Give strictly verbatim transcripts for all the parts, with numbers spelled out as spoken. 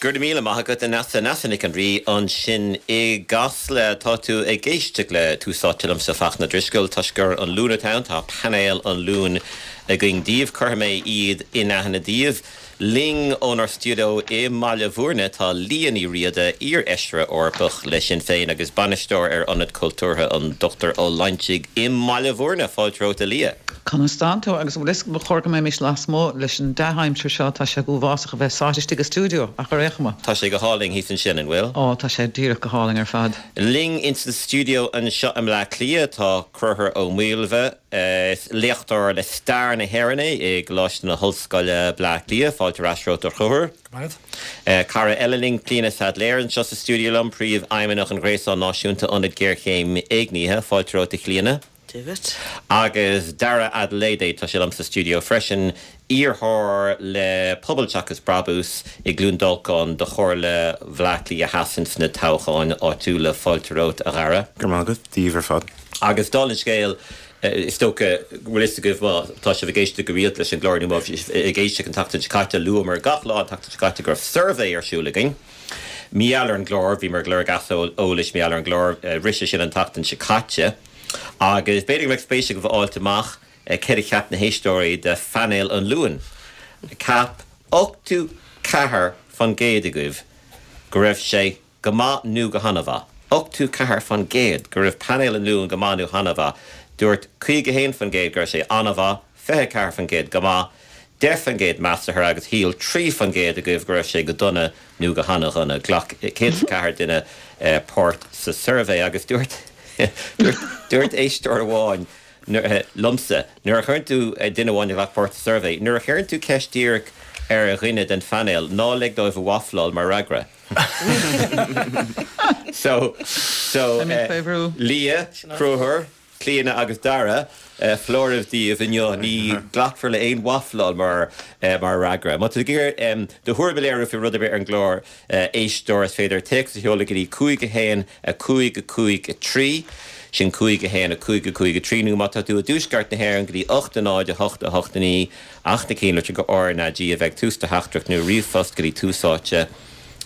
Go raibh míle maith agat, Neasa, Neasa Nic an Rí ansin i gCasla. Tá tú ag éisteacht le Tús Áite liomsa, Fachtna Drisceoil. Toisc gur an Luan atá ann, tá painéal an Luain againn daoibh. Cuirfidh mé iad in aithne daoibh. Linn ónár stiúideo i mBaile Bhúirne tá Liadh Ní Riada, iar-fheisire Eorpach le Sinn Féin agus bainisteoir ar Ionad Cultúrtha an Dochtúir Ó Loingsigh i mBaile Bhúirne. Fáilte romhat, a Liadh. Conas tánn tú? Agus bhfuil fhios agat, ba chóir go mbeimis lasmuigh leis an dea-aimsir seo, tá sé go huafásach a bheith sáite istigh i stiúideo, ach ar aon chuma. Tá sé go hálainn thíos ansin, an bhfuil? Ó, tá sé díreach go hálainn ar fad. Linn ins an stiúideo anseo i mBleá Cliath tá Conchúr Ó Maoilbhe. Is léachtóir le stair na hÉireann é i gColáiste na hOllscoile, Bleá Cliath. Fáilte ar ais romhat, a Chonchúir. Go maith agat. Cara eile linn, Clíona Saidléar, anseo sa stiúideo liom, Príomhfheidhmeannach an Ghréasáin Náisiúnta Ionad Géarchéim Éignithe. Fáilte romhat, a Chlíona. Dia dhuit. Agus Dara Adeleye, tá sé liom sa stiúideo freisin, iarrthóir le Pobal Seachas Brabús i gCluain Dolcáin do Chomhairle Bhaile Átha Cliath Theas ins na toghcháin áitiúla. Fáilte romhat, a Dhara. Go raibh maith agat. Dia daoibh ar fad. Agus dála an scéil, is dócha go bhfuil fhios agaibh má tá sibh ag éisteacht go rialta leis an gclár nó má bhí sibh ag éisteacht an tseachtain seo caite, luamar gach lá an tseachtain seo caite go raibh suirbhé ar siúl againn. Mar gheall ar an gclár, bhíomar ag lorg eolais mar gheall ar an gclár, rith sé sin an tseachtain seo caite agus b'fhéidir go mbeadh spéis agaibh a fháilt amach céard a cheap na héisteoirí de phainéal an Luain. Cheap ochtó ceathair faoin gcéad agaibh go raibh sé go maith nó go han-mhaith. Ochtó ceathair faoin gcéad go raibh painéal an Luain go maith nó han-mhaith. Dúirt caoga haon faoin gcéad go raibh sé an-mhaith, fiche ceathair faoin gcéad go maith, deich faoin gcéad measartha agus shíl trí faoin gcéad agaibh go raibh sé go dona nó go han-dhona. Ghlac céad is a ceathair duine páirt sa suirbhé agus dúirt dúirt éisteoir amháin liomsa, nuair a chuireann tú, duine amháin a ghlac páirt sa suirbhé, nuair a chuireann tú ceist díreach ar dhuine den phainéal, ná lig dóibh a wafláil mar fhreagra. So, so, Liadh, Conchúr, Clíona agus Dara, foláireamh daoibh inniu, ní ghlacfar le haon wafláil mar mar fhreagra. Má tá tú ag iarraidh do thuairim a léiriú faoi rud ar bith ar an gclár, éisteoir, is féidir téacs a sheoladh go dtí cúig a haon a cúig a cúig a trí, sin cúig a haon a cúig a cúig a trí, nó má tá tú i dtuaisceart na hÉireann go dtí ocht a náid a hocht a hocht a naoi, ach na cinnlitreacha R N A G a bheith ag tús do theachtaireacht nó ríomhphost go dtí tús áite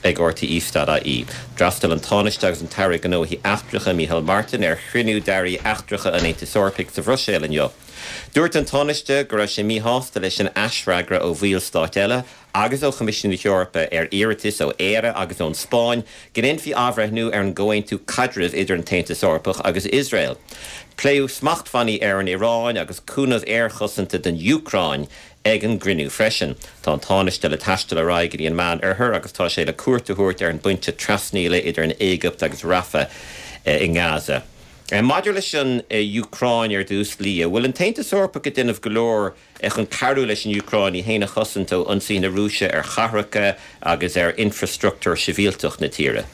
ag R T E dot I E. D'fhreastail an Tánaiste agus an tAire Gnóthaí Eachtracha Micheál Martin ar chruinniú d'airí eachtracha an Aontais Eorpaigh sa Bhruiséil inniu. Dúirt an Tánaiste go raibh sé míshásta leis an aisfhreagra ó bhallstáit eile agus ó Choimisiún na hEorpa ar iarratas ó Éire agus ón Spáinn go ndéanfaí athbhreithniú ar an gcomhaontú caidrimh idir an tAontas Eorpach agus Iosrael. Pléadh smachtbhannaí ar an Iaráin agus cúnamh aerchosanta don Úcráin ag an gcruinniú freisin. Tá an Tánaiste le taisteal ar aghaidh go dtí an Meánoirthear agus tá sé le cuairt a thabhairt ar an bpointe trasnaíola idir an Éigipt agus Rafah i nGaza. Maidir leis an Úcráin ar dtús, Liadh, bhfuil an tAontas Eorpach ag déanamh go leor chun cabhrú leis an Úcráin í féin a chosaint ó ionsaí na Rúise ar chathracha agus ar infreastruchtúr sibhialtach na tíre?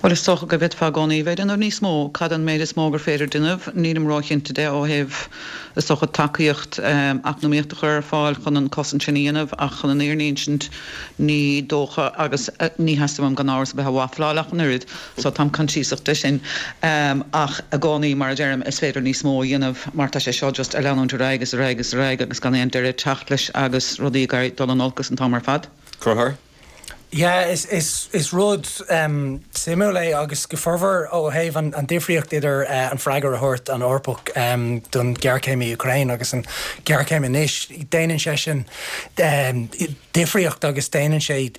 Well, is dócha go bhféadfá i gcónaí bheith ag déanamh níos mó. Cad an méid is mó gur féidir déanamh? Nílim róchinnte de ó thaobh, is dócha, tacaíocht eacnamaíocht a chur ar fáil chun an cosaint sin a dhéanamh, ach chun an fhírinne a insint ní dócha, agus ní theastaíonn uaim gan amhras a bheith ag wafláil ach an oiread, so táim coinsiasach de sin. Ach i gcónaí, mar a deirim, is féidir níos mó a dhéanamh mar tá sé seo just ag leanúint ar aghaidh is ar aghaidh is ar aghaidh agus gan aon deireadh ag teacht leis agus rudaí ag éirí dul in olcas an t-am ar fad. Conchúr? Yeah, is, is, is rud um, suimiúil é agus go formhór ó thaobh an, an difríocht idir uh, an freagra a thabhairt an Eorpach um, don ghéarchéim i Ukraine agus an ghéarchéim anois. Déanann sé sin um, difríocht agus déanann sé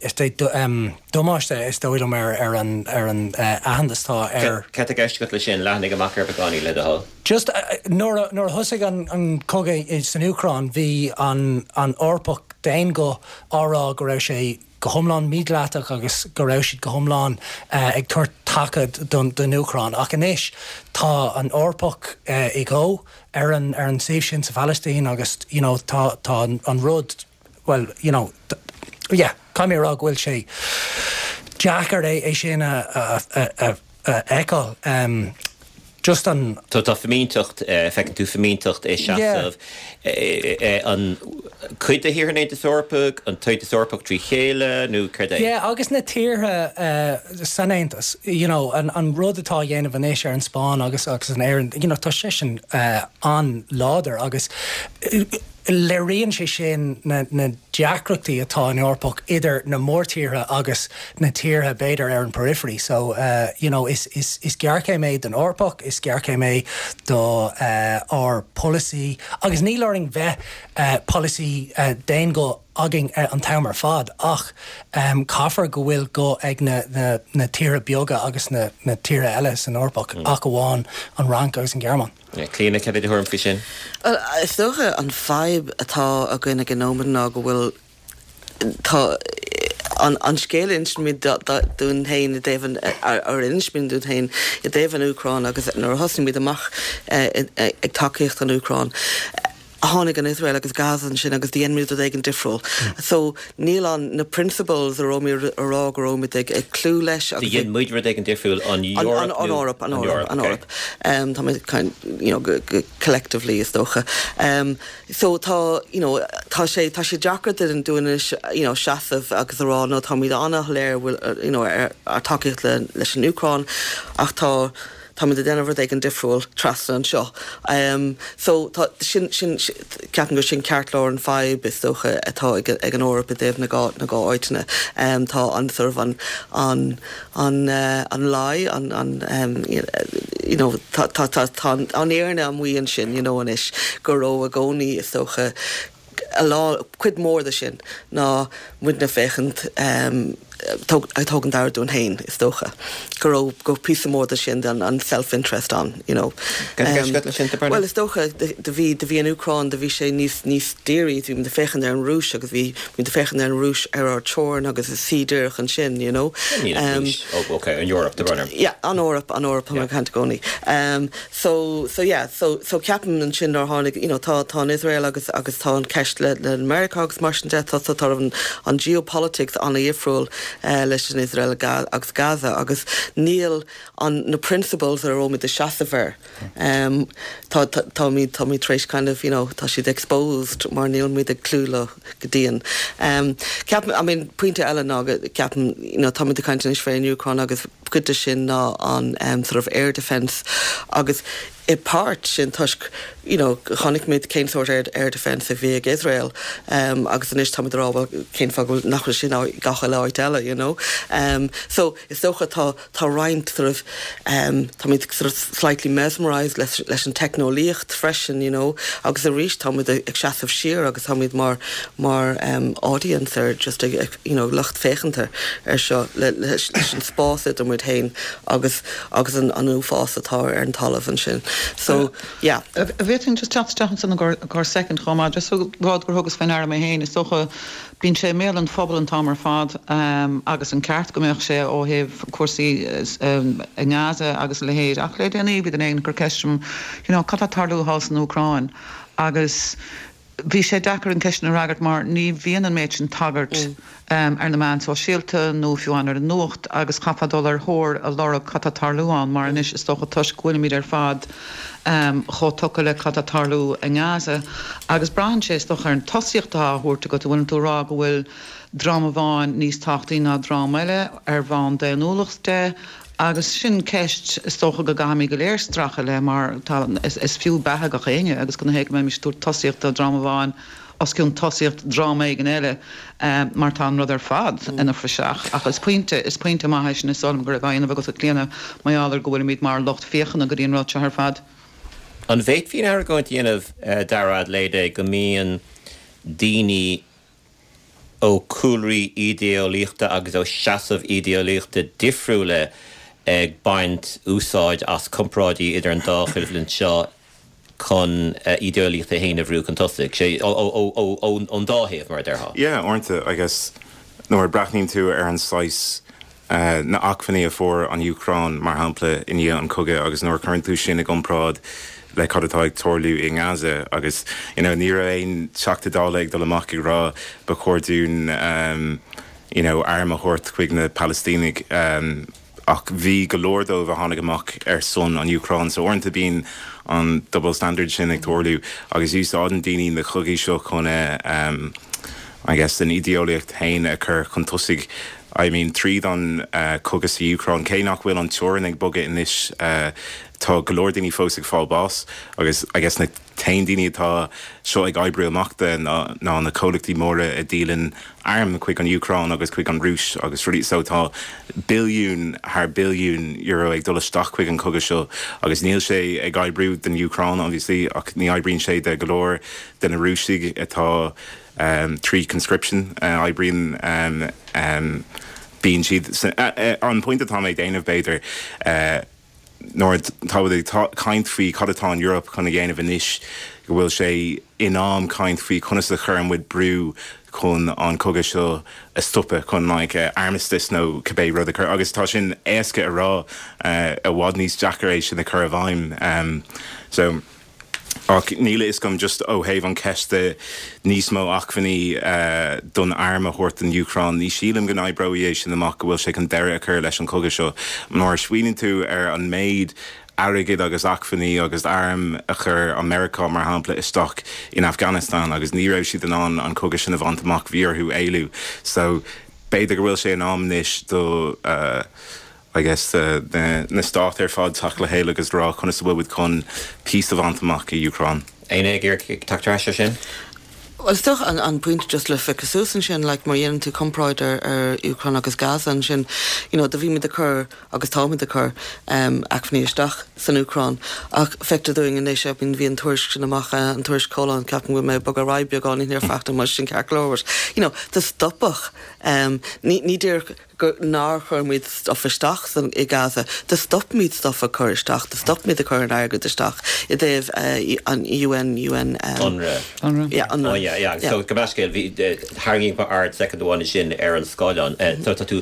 um, damáiste, is dóigh liom, ar, ar an, ar an uh, aitheantas tá ar. Cad tá i gceist agat leis sin? Leathnaigh amach ar beagáinín, le do thoil. Just uh, nuair a, nuair a thosaigh an, an cogadh san Úcráin, bhí an, an Eorpach d'aon ghuth á rá go raibh sé go hiomlán mídhleathach agus go raibh siad go hiomlán uh, ag tabhairt taca don, don Úcráin. Ach anois tá an Eorpach uh, i go ar an, ar an taobh sin sa Phalaistín agus you know, tá, tá an, an rud, well, you know, yeah, caithfidh mé rá go bhfuil sé deacair é é sin a, a, a, a, a fheiceáil. Um, just an Tá tá fimínteacht, feiceann tú fimínteacht i seasamh an cuid de thíortha an Aontais Eorpaigh, an tAontas Eorpach trí chéile nó céard é? Yeah, agus na tíortha uh, san Aontas, you know, an, an rud atá dhéanamh anois ar an Spáinn agus agus an Éirinn, you know, tá sé sin uh, an-láidir agus uh, Léiríonn sé sin na, na deacrachtaí atá in Eorpach idir na mórtíortha agus na tíortha b'fhéidir ar an periphery. So uh, you know, is, is, is géarchéim é don Eorpach, is géarchéim é do uh, ár policy agus níl orainn bheith uh, policy uh, d'aon ghuth againn uh, an t-am ar fad ach um, caithfear go bhfuil guth ag na, na, na tíortha beaga agus na, na tíortha eile san Eorpach mm. ach amháin an Fhrainc agus an Ghearmáin. Clíona cad é do thuairim faoi sin? Well, is dócha an fadhb atá againn ag an nóiméad ná go bhfuil tá an, an scéal insímid dúinn féin i dtaobh ar insímid dúinn féin i dtaobh an Úcráin agus nuair a thosaigh amach ag tacaíocht an Úcráin. Tháinig an Israel agus Gaza sin agus dhein muid rud éigin difriúil. Mm. So níl an na principles a raibh muid a rá go raibh muid ag ag cloí leis Dhein muid rud éigin difriúil an Eoraip an Eoraip an Eoraip an Eoraip. Um, tá kind you know, go, go collectively is dócha. Um, so tá you know, tá sé tá sé deacair den dúinis you know, seasamh agus a rá no tá muid an-láidir you know, ar, ar tacaíocht le, leis an Úcráin ach tá tá muid ag déanamh rud éigin difriúil trasna anseo. Um, so tá sin sin ceapaim gur sin ceartlár an fadhb is dócha atá ag, ag an Eoraip i dtaobh na dhá na dhá áiteanna. Um, tá an sort of an an an uh, an lie an an um, you know tá tá tá tá an fhírinne amuigh ansin you know anois go raibh i gcónaí is dócha a lá cuid mór de sin ná muidne féachaint um, ag tógaint aire dúinn féin is dócha. Go raibh go píosa mór de sin den an self-interest an you know. Um, well is dócha de bhí de bhí an Úcráin de bhí sé níos níos dírí bhí muid ag féachaint ar an Rúis agus bhí muid ag féachaint ar an Rúis ar ár teorainn agus is sí díreach ansin you know. Um, oh, okay, an Europe the runner. Yeah, an Eoraip an Eoraip yeah. caint i gcónaí. Um, so so yeah, so so ceapaim ansin ar tháinig you know, tá tá an Israel agus agus tá an ceist le le America agus mar sin de tá tá an, an geopolitics an-difriúil uh, leis an Israel agus Gaza agus níl an na principles ar raibh muid ag seasamh air. Um, tá tá tá tá muid tar éis kind of you know, tá siad exposed mar níl muid ag cloí leo go dian. Um, ceapaim I mean, pointe eile ná ceapaim you know, tá muid ag caint fén Úcráin agus cuid de sin ná an um, sort of air defense agus i páirt sin toisc you know, chonaic muid cén sórt air, air defense a bhí ag Israel um, agus anois tá rá cén fáth nach sin gach áit eile you know. Um, so is dócha tá tá roinnt sort of um, tá sort of slightly mesmerized leis, leis an teicneolaíocht freisin you know, agus arís tá ag seasamh siar agus tá mar mar um, audience ar just ag, you know, lucht féachana ar seo le, leis, leis an spás idir muid féin agus agus an an uafás atá ar an talamh ansin. So yeah. Bhféadfainn just teacht isteach ansin gur gur second chomh maith just rud gur thugas faoi ndeara mé féin is dócha bíonn sé i mbéal an phobail an t-am ar fad um, agus an ceart go mbeadh sé ó thaobh cúrsaí um, i nGaza agus a leithéid ach le déanaí bhí duine ag cur ceist orm you know, cad atá ag tarlú thall san Úcráin agus bhí sé deacair an ceist a fhreagairt mar ní bhíonn an méid sin tagairt mm. um, ar na meáin sóisialta nó fiú ar an nuacht agus chaithfeá dul ar thóir a lorg cad atá ag tarlú ann mar anois is dócha toisc go bhfuilimid ar fad um, chomh tugtha le cad atá ag tarlú i nGaza agus braitheann sé is dócha ar an tosaíocht atá á thabhairt go bhfuil tú rá go bhfuil dream amháin níos tábhachtaí ná dream eile ar bhonn daonnúlacht de agus sin ceist is dócha go gcaithfimid go léir streachailt le mar tá is, is fiú beatha gach éinne agus go héige mé tú tosaíocht do dream amháin os cionn tosaíocht dream éigin eile um, mar tá an rud ar fad mm. ina phraiseach ach is pointe is pointe maith sin is dóigh liom go raibh agus a Clíona mar gheall go bhfuilimid mar lucht féachana go dtí an rud seo ar fad. An bhféadfaí an argóint a dhéanamh uh, Dara Adelaide go mbíonn daoine ó cúlraí idéolaíochta agus ó seasamh idéolaíochta difriúla ag baint úsáid as comparáidí idir an dá choimhlint seo chun uh, idéolaíocht a féin a bhrú chun tosaigh sé ón dá thaobh mar a déarfá. Yeah, uaireanta I guess nuair a breathnaíonn tú ar an saghas uh, na acmhainní a fuair an Úcráin mar shampla i ndiaidh an chogaidh agus nuair a chuireann tú sin i gcomparáid le cad atá ag tarlú i nGaza agus you know, ní raibh aon Teachta Dála ag dul amach ag rá ba chóir dúinn um, you know, arm a thabhairt chuig na Palaistínigh um, ach bhí go leor dóibh a tháinig amach ar son an Úcráin so uaireanta bíonn an double standard sin ag tarlú agus úsáideann daoine na cogaí seo chun um, I guess an idéolaíocht féin a chur chun tosaigh I mean tríd an uh, cogadh sa Úcráin cé nach bhfuil an teorainn ag bogadh anois uh, Tá go leor daoine fós ag fáil bás agus I guess na t-aon daoine atá seo ag oibriú amach de ná ná na comhlachtaí móra a dhíolann airm chuig an Úcráin agus chuig an Rúis agus rudaí so tá billiún thar billiún euro ag dul isteach chuig an cogadh seo agus níl sé ag oibriú don Úcráin obviously ach ní oibríonn sé de go leor de na Rúisigh atá um, trí conscription uh, oibríonn um, um, bíonn siad uh, uh, an pointe atá mé déanamh b'fhéidir uh, nuair tá ag caint faoi cad atá an Eoraip chun a dhéanamh anois go bhfuil sé in am caint faoi conas a chuireann muid brú chun an cogadh seo a stopadh chun like, uh, armistice nó cibé rud a chur agus tá sin éasca a rá uh, i bhfad níos deacra é sin a chur i bhfeidhm um, so Ach níl is gom just ó thaobh an ceiste níos mó acmhainní uh, don arm a thabhairt don Úcráin, ní sílim go n-oibreoidh é sin amach go bhfuil sé chun deireadh a chur leis an cogadh seo. Nuair a smaoiníonn tú ar an méid airgid agus acmhainní agus arm a chuir America mar shampla isteach in Afghanistan agus ní raibh siad in ann an cogadh sin a bhaint amach bhí orthu éalú. So b'fhéidir go bhfuil sé in am anois do uh, I guess uh, na, na stáit ar fad teacht le chéile agus rá conas a bhfuil chun peace a bhaint amach i Úcráin. Éanna ag teacht ar sin? Well is dócha an, an pointe just le fiche suas ansin like, mar dhéanann tú comparáid ar ar Úcráin agus Gaza ansin you know, do bhí muid ag cur agus táimid ag cur um, acmhainní isteach san Úcráin ach feictear dúinn anois I mean, bhí an tuairisc sin amach uh, an tuairisc Coláin ceapaim go mé bog ra beagán ní feachta mar sin ceart go leor. You know, do stopadh um, ní, ní díreach gur nár chuir muid stuff isteach san i Gaza, do stop muid stuff a chur isteach, do stop muid a chur an airgead isteach i dtaobh uh, an UN UN um, Unrwa. Unrwa. Yeah, Unrwa. Oh, yeah, yeah. So go meiscéil bhí tharraing m'aird soicind amháin sin ar an scáileán. Eh, So tá tú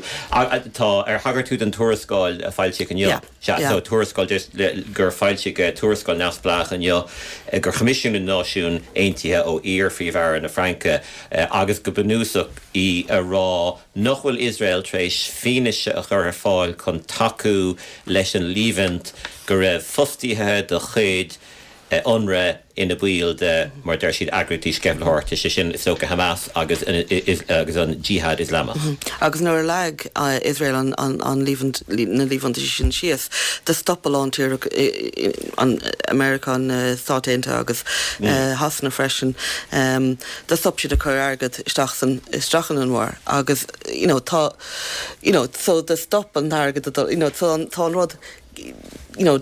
tá ar thagair tú den tuarascáil a foilsíodh inniu. Yeah, Sea, yeah. so tuarascáil just le- gur foilsíodh eh, tuarascáil neamhspleách inniu eh, gur choimisiúnaigh na Náisiúin Aontaithe ó iar-Phríomh-Aire na Fraince eh, agus go bunúsach í a rá nach bhfuil Iosrael tar éis fianaise a chur ar fáil chun tacú leis an líomhain go raibh fostaithe de chuid eh, Unrwa ina bhaill de mar deir siad eagraíochtaí sceimhlitheoireachta sé sin is dócha Hamas agus is- agus an Jihad Islamach. Agus nuair a leag uh, Israel an, an, an líomhaint, na líomhaintí sin síos, do stop a lán tír an America an uh, Stáit Aontaithe agus uh, Shasana freisin, um, do stop siad a chur airgead isteach san isteach in an war agus you know, tá you know, so do stop an airgead a dul- you know, so an, tá an rud you know,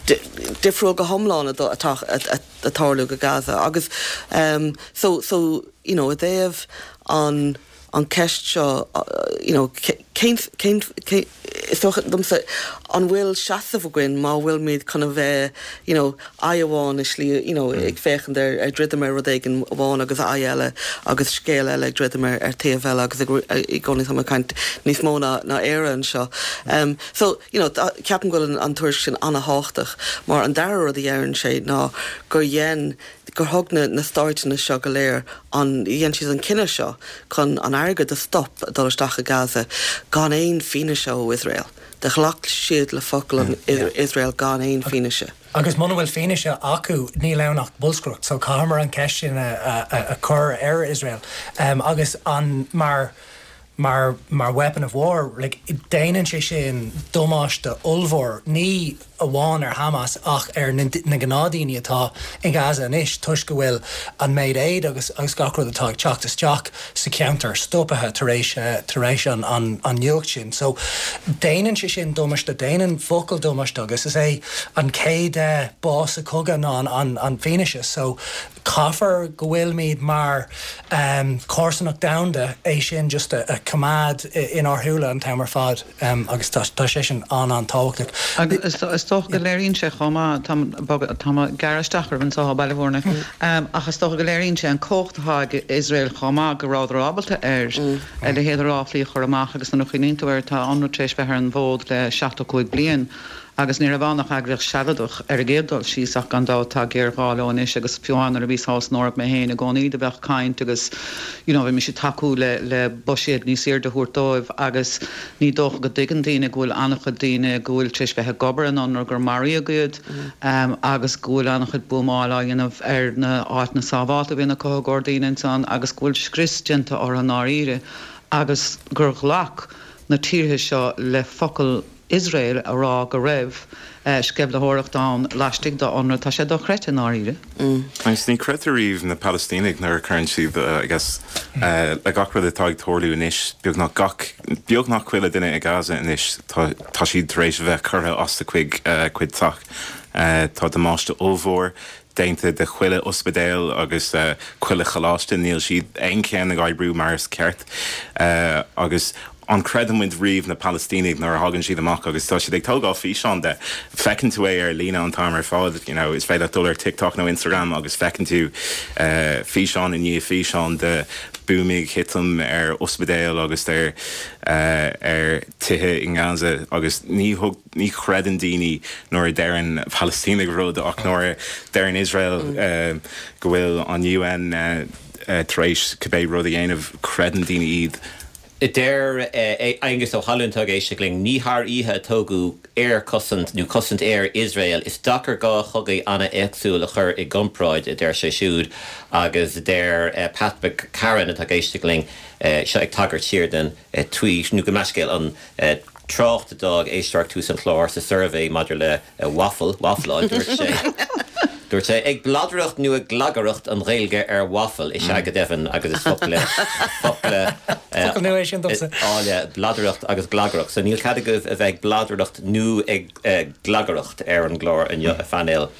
di- difriúil go hiomlán atá ag tarlú go Gaza agus um, so so you know, i dtaobh an an ceist seo uh, you know, cén cén cén is dócha domsa an bhfuil seasamh againn má bhfuil muid chun a bheith you know, aghaidh amháin is slí you know, ag féachaint ar ar druidim ar rud éigin amháin agus aghaidh eile agus scéal eile ag druidim ar ar taobh eile agus ag i gcónaí tá caint níos mó ná ná Éire anseo. Um, so you know, tá- ceapaim go bhfuil an, an tuairisc sin an-tábhachtach mar an dara rud a deireann sé ná gur dhein gur thug na, na stáiteanna seo go léir an dhein siad an cinneadh seo chun an airgead a stop a dul isteach i Gaza gan aon fianaise ó Israel. Do ghlac siad le focal an Israel gan aon fianaise. Agus muna bhfuil fianaise acu níl ann ach bolscaireacht, so caithfear an ceist sin a, a, a, a chur ar Israel. Um, agus an mar mar mar weapon of war like, déanann sé sin damáiste ollmhór ní amháin ar Hamas ach ar na, na gnáthdhaoine atá in Gaza anois toisc go bhfuil an méid aid agus agus gach rud atá ag teacht isteach sa cheantar stoptha tar éis eh, tar éis an, an, an nuacht sin. So déanann sé sin damáiste déanann focal damáiste agus is é an chéad eh, bás sa chogadh ná an, an, an fianaise. So caithfear go bhfuilmid mar um, comharsanacht domhanda é sin just a, a choimeád inár súile an t-am ar fad um, agus tá tá sé sin an an-tábhachtach. Agus is is dócha go léiríonn sé chomh maith tá gearaisteach an sá bailehórna ach is dócha go léiríonn sé an cumhacht atá ag Israel chomh maith go rabhadar ábalta ar a leithéid ráflaí a chur amach agus na chuoinú ar tá an éis bheith ar an bhfód le seachtó cúig bliain. agus ní raibh ann ach eagraíocht sealadach ar an gcéad dul síos ach gan dabht tá géarghá leo anois agus fiú nuair a bhí thall san Eoraip mé féin i gcónaí do bheadh caint agus you know, bhí mise tacú le le buiséad níos airde a thabhairt dóibh agus ní dócha go dtuigeann daoine go bhfuil an-chuid daoine go bhfuil tar éis bheith ag obair in Unrwa gur maraíodh iad um, agus go bhfuil an-chuid buamáil á dhéanamh ar na áiteanna sábháilte a bhíonn acu i gcomhair daoine ansan agus go bhfuil scrios déanta orthu dáiríre agus gur ghlac na tíortha seo le focal Iosrael a rá go raibh sceimhlitheoireacht ann laistigh de UNRWA, tá sé dochreidte i ndáiríre. Agus ní chreidtear riamh na Palaistínigh nuair a chuireann siad, I guess, le gach rud atá ag tarlú anois, beagnach gach, beagnach chuile duine i Gaza anois, tá, tá siad tar éis a bheith curtha as a cuid, cuid teach. Tá damáiste ollmhór déanta de chuile ospidéal agus chuile choláiste, níl siad aon cheann ag oibriú mar is ceart. Agus an gcreideann muid riamh na Palaistínigh nuair a thagann siad amach agus tá siad ag tógáil físeán de. Feiceann tú é ar líne an t-am ar fad, you know, is féidir leat dul ar TikTok nó Instagram agus feiceann tú físeán i ndiaidh físeán de buamaí ag titim ar ospidéal agus ar ar tithe i nGaza agus ní thug ní chreideann daoine nuair a deireann Palaistínigh rud ach nuair a deireann Iosrael go bhfuil an UN tar éis cibé rud a dhéanamh, creideann daoine iad. Deir Aengus Ó hAlmhain atá ag éisteacht linn, ní thar oíche a tógadh aerchosaint nó cosaint aeir Iosrael. Is deacair dhá chogaidh an-éagsúil a chur i gcomparáid, a deir sé siúd. Agus deir Pat McCarran atá ag éisteacht linn, seo ag tagairt siar den tweet nó gabh mo leithscéal, an trácht a d'fhág éisteoir ag tús an chláir sa suirbhé maidir le waffle, wafláil, dúirt sé. Dúirt sé, ag bladaireacht nó ag glagaireacht an Ghaeilge ar waffle, is ea go deimhin, agus is focla, focla Focal nua é sin domsa. áille, bladaireacht agus glagaireacht. So níl cead agaibh a bheith ag bladaireacht nó ag glagaireacht ar an gclár inniu, a phainéal.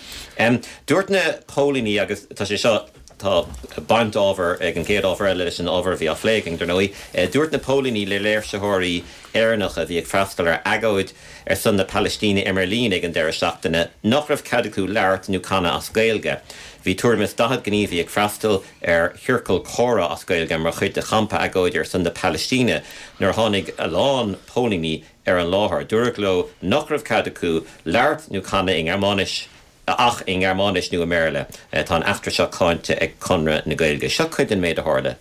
Dúirt na póilíní, agus tá sé seo, tá baint ábhar ag an gcéad ábhar eile leis an ábhar a bhí á phlé againn, dar ndóigh, dúirt na póilíní le léirsitheoirí Éireannacha a bhí ag freastal ar agóid ar son na Palaistíne i mBeirlín ag an deireadh seachtaine nach raibh cead acu labhairt nó canadh as Gaeilge. Bhí tuairim is daichead gníomhaí ag freastal ar chiorcal comhrá as Gaeilge mar chuid de champa agóide ar son na Palaistíne nuair a tháinig a lán póilíní ar an láthair. Dúradh leo nach raibh cead acu labhairt nó canadh i nGearmáinis ach i nGearmáinis nó i mBéarla. Tá an eachtra seo cáinte ag Conradh na Gaeilge. Seo cuid den méid a tharla.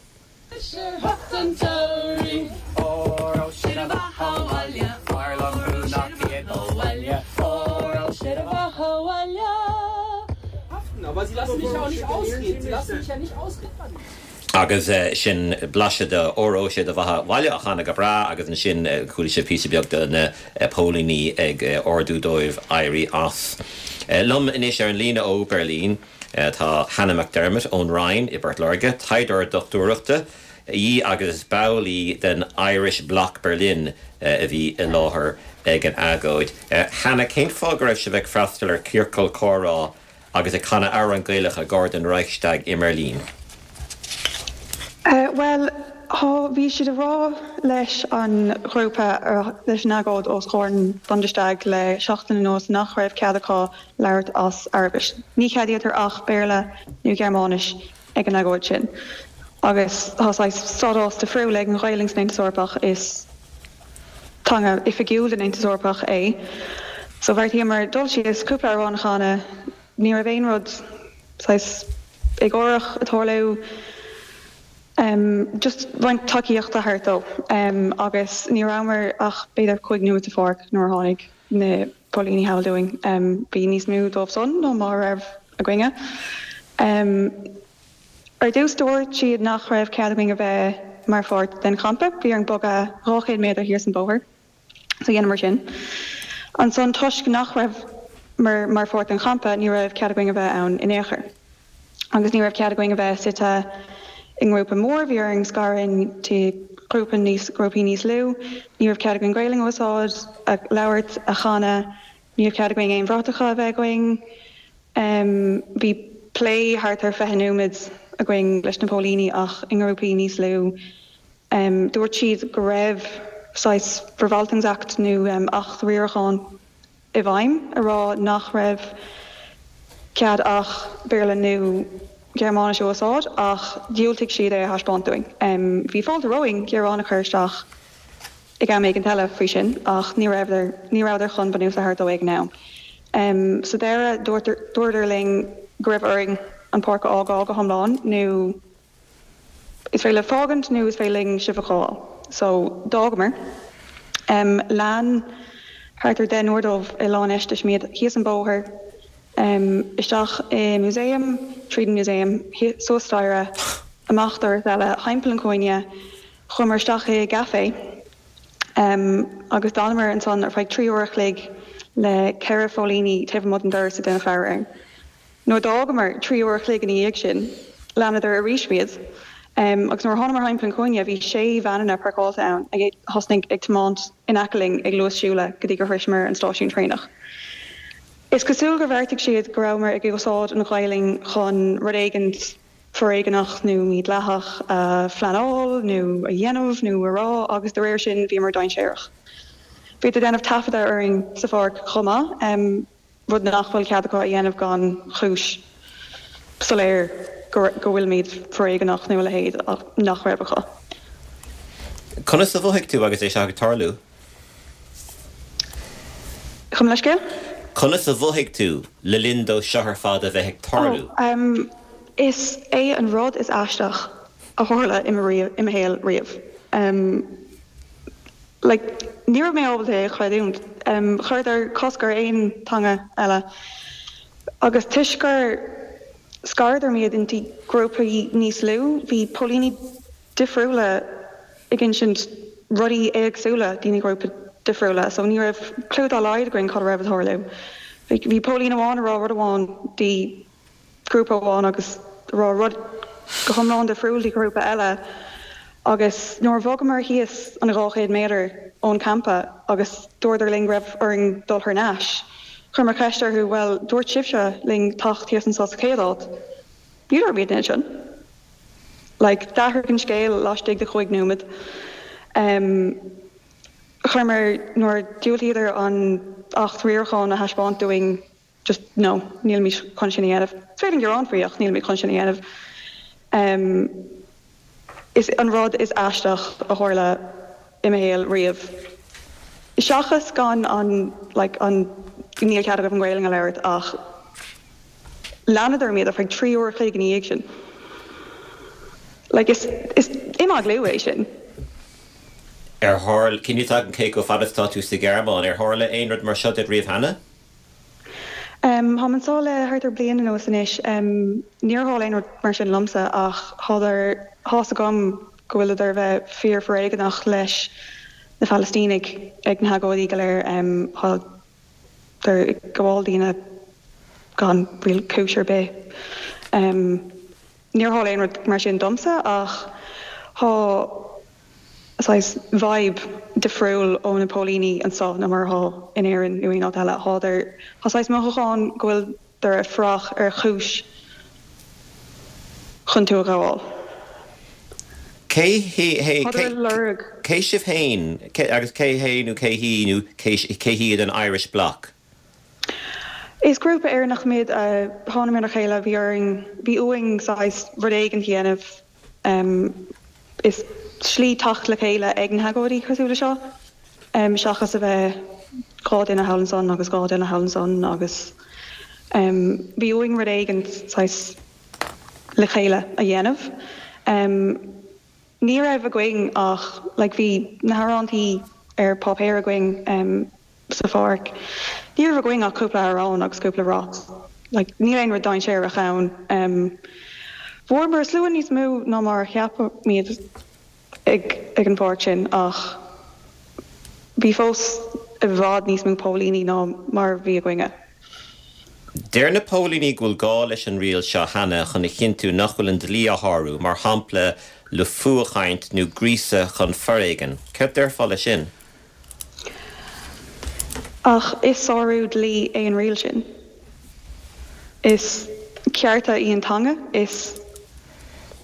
Agus sin blaiseadh de Óró Sé do Bheatha 'Bhaile á chanadh go breá agus ansin chuala sibh píosa beag de na póilíní ag ordú dóibh éirí as. Liom anois ar an líne ó Berlin tá Hannah McDermott ón Rinn i bPort Láirge, taighdeoir dochtúireachta í agus is ball í den Irish Bloc Berlin a bhí i láthair ag an agóid. Hannah, cén fáth go raibh sibh ag freastal ar chiorcal comhrá agus ag canadh amhrán Gaelach i gar don Reichstag i mBeirlín? Bhuel, thá, bhí siad ag rá leis an ghrúpa, leis an agóid os comhair an Bundestag le seachtain anuas nach raibh cead acu labhairt as Araibis. Ní cheadaítear ach Béarla nó Gearmáinis ag an agóid sin. Agus tá saghas stádás difriúil ag an Ghaelainn san Aontas Eorpach, is teanga oifigiúil den Aontas Eorpach é. So bheartaíomar dul síos, cúpla amhrán a chanadh, ní raibh aon rud saghas éagórach ag tarlú, just roinnt tacaíochta thart dó. Agus ní rabhamar ach b'fhéidir cúig nóiméad sa pháirc nuair a tháinig na póilíní thall dúinn. Bhí níos mó dóibh san ná mar a raibh againne. Ar dtús dúirt siad nach raibh cead againn a bheith mar pháirt den champa, bhí orainn bogadh dhá chéad méadar thíos an bóthar, so dheineamar sin. Ansan toisc nach rabhamar mar pháirt den champa ní raibh cead againn a bheith ann in aon chor. Agus ní raibh cead againn a bheith suite i ngrúpa mór, bhí orainn scaradh into grúpa níos, grúpaí níos lú, ní raibh cead againn Gaelainn a úsáid, a labhairt, a chanadh, ní raibh cead againn aon bhratacha a bheith againn. Bhí plé thart ar fiche nóiméad againn leis na póilíní ach i ngrúpaí níos lú. Dúirt siad go raibh saghas Verwaltungsakt nó acht riaracháin i bhfeidhm a rá nach raibh cead ach Béarla nó Gearmáinis a úsáid ach dhiúltaigh siad é a thaispeáint dúinn. Bhí fáilte romhainn gearán a chur isteach ag am éigin eile faoi sin ach ní rabhadar ní rabhadar chun bunús a thabhairt dó ag an am. Sa deireadh dúradar linn go raibh orainn an pháirc a fhágáil go hiomlán nó is féidir libh fágaint nó is féidir linn sibh a ghabháil. So d'fhágamar. Lean thart ar deichniúr dóibh i lánfheistis muid thíos an bóthar, isteach i músaem, tríd an músaem, suas staighre, amach doras eile, thimpeall an chúinne, chuamar isteach i gcafé Agus d'fhanamar ansan ar feadh trí uair a chloig le ceithre phóilíní taobh amuigh den doras ag déanamh faire orainn. Nuair a d'fhágamar trí uair a chloig ina dhiaidh sin, leanadar arís muid. Agus nuair a thánamar thimpeall an chúinne bhí sé veaineanna páirceáilte ann ag thosnaigh ag tiomáint in aice linn ag luas siúla go dtí gur shroiseamar an stáisiún traenach. Is cosúil gur bheartaigh siad go rabhamar ag úsáid an Ghaelainn chun rud éigint foréigeanach nó mídhleathach a phleanáil nó a dhéanamh nó a rá agus de réir sin bhíomar dainséarach. Bhíodar ag déanamh taifeadadh orainn sa pháirc chomh maith, rud nach bhfuil cead acu a dhéanamh gan chúis soiléir go bhfuilimid foréigeanach nó a leithéid ach nach raibh acu. Conas a mhothaigh tú agus é seo ag tarlú? Gabh mo leithscéal? Conas a mhothaigh tú le linn dó seo ar fad a bheith ag tarlú? Oh, is é an rud is aisteach a tharla i mo shaol riamh. Like, ní raibh mé ábalta é a chreidiúint. Chuireadar cosc ar aon teanga eile agus toisc gur scaradar muid inti grúpaí níos lú, bhí póilíní difriúla ag insint rudaí éagsúla do na grúpaí difriúla, so ní raibh clue dá laghad againn cad a raibh ag tarlú. Bhí póilín amháin ag rá rud amháin di grúpa amháin agus ag rá rud go hiomlán difriúil di ghrúpa eile agus nuair a bhogamar thíos an dhá chéad méadar ón campa agus dúradar linn go raibh orainn dul thar n-ais, chuireamar ceist orthu, bhuel, dúirt sibhse linn teacht thíos anseo sa chéad áit, ní raibh muid ansin. Like, d'athraigh an scéal laistigh de chúig nóiméad. Um, chuireamar nuair a diúltaíodar an Acht Riaracháin a thaispeáint dúinn, just no, nílimid chun sin a dhéanamh. Is féidir gearán faoi ach nílimid chun sin a dhéanamh. Um, is an rud is aisteach a tharla i mo shaol riamh. Seachas gan an like an níl cead agaibh an Ghaelainn a labhairt ach leanadar muid ar feadh trí uair a chloig ina dhiaidh sin. Like is is imeaglú é sin. Ar tharla, cén fáth cé chomh fada is atá tú sa Ghearmáin, ar tharla aon rud mar seo duit riamh cheana? Táim anseo le thart ar bliain anuas anois. Níor tharla aon rud mar sin liomsa ach thádar, tá's agam go bhfuileadar a bheith fíor-fhoréigeanach leis na Palaistínigh ag na hagóidí go léir. Thádar ag gabháil daoine gan real cúis ar bith. Níor tharla aon rud mar sin domsa ach thá saghas vibe difriúil ó na póilíní anseo ná mar atá in Éirinn nó aon áit eile. Thádar, tá saghas mothúchán go bhfuiltear ag fuireach ar chúis chun tú a ghabháil. Cé hé, hé, Thádar ag lorg. cé sibh féin agus cé hé nó cé hí nó cé hiad an Irish Bloc? Is grúpa Éireannach muid a thánamar le chéile, bhí orainn, bhí uainn saghas rud éigin a dhéanamh. Is slí teacht le chéile ag na hagóidí cosúil le seo, seachas a bheith dhá duine thall ansan agus dhá duine thall ansan agus bhí uainn rud éigin saghas le chéile a dhéanamh. Ní raibh againn ach like bhí na hamhrántaí ar páipéar againn sa pháirc. Ní raibh againn ach cúpla amhrán agus cúpla rap. Like níl aon rud dainséarach ann. Bhfuaireamar slua níos mó ná mar a cheapaimid ag ag an pháirc sin ach bhí fós i bhfad níos mó póilíní ná mar a bhí againne. Deir na póilíní go bhfuil gá leis an riail seo cheana chun a chinntiú nach bhfuil an dlí á shárú, mar shampla le fuathchaint nó gríosadh chun foréigin. Céard déarfá leis sin? Ach is sárú dlí é an riail sin. Is cearta í an teanga, is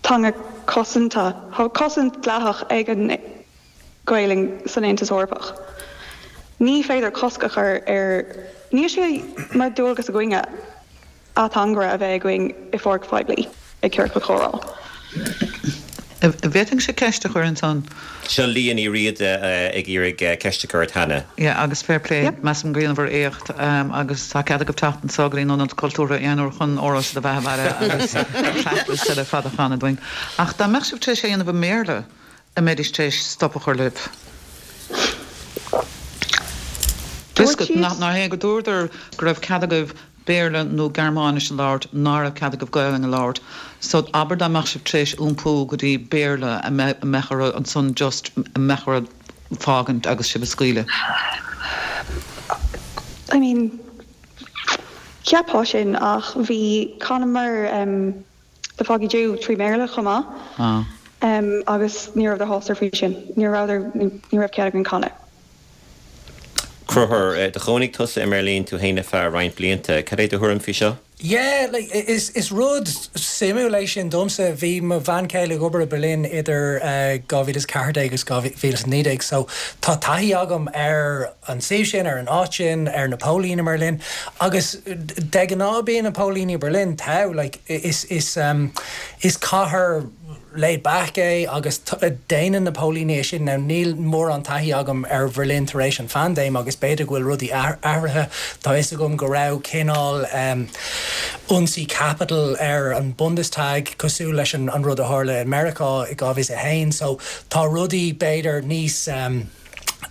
teanga cosanta, tá cosaint dleathach ag an Ghaelainn san Aontas Eorpach. Ní féidir cosc a chur ar, níl sé mar dualgas againne ateangaire a bheith againn i pháirc phoiblí ag ciorcal comhrá. An bhféadfainnse ceist a chur ansan? Seo Liadh Ní Riada ag iarraidh ceist a chur ort, Hannah. Yeah, agus fair play, measaim gur dheineabhair éacht agus tá cead agaibh teacht anso go dtí an Ionad Cultúrtha aon uair chun Óró Sé do Bheatha 'Bhaile agus tracklist eile fada a chanadh dúinn. Ach dá mbeadh sibh tar éis é a dhéanamh i mBéarla, an mbeidís tar éis stop a chur libh? Dúirt siad. Nach é go dúradar go raibh cead agaibh Béarla nó Gearmáinis a labhairt, ná raibh cead agaibh Gaelainn a labhairt. So abair dá mbeadh sibh tar éis iompú go dtí Béarla, an mbeadh orthu ansan just, an mbeadh orthu fágaint agus sibh a scaoileadh? I mean, cheapfá sin ach bhí chanamar um, The Foggy Dew trí Bhéarla chomh maith. Ah. Um, agus ní raibh sásta faoi sin. Ní raibh ní raibh cead againn canadh. Conchúr, do chónaigh tusa i mBeirlín tú féin ar feadh roinnt blianta, cad é do thuairim faoi seo? Yeah, like, is, is rud suimiúil é sin domsa bhí mo bhean chéile ag obair i Berlin idir uh, dhá mhíle is ceathair déag agus dhá mhíle is naoi déag, so tá taithí agam ar an suíomh sin ar an áit sin ar na póilíní i mBerlin agus de ghnáth bíonn na póilíní Berlin tá like, is, is, um, is cathair laid back é agus déanann na póilíní é sin now níl mórán taithí agam ar Berlin tar éis an phaindéim agus b'fhéidir go bhfuil rudaí athraithe tá fhios agam go raibh cineál um, ionsaí Capitol ar an Bundestag cosúil leis an, an rud a tharla i Meiriceá i dhá mhíle a haon so tá rudaí b'fhéidir níos um,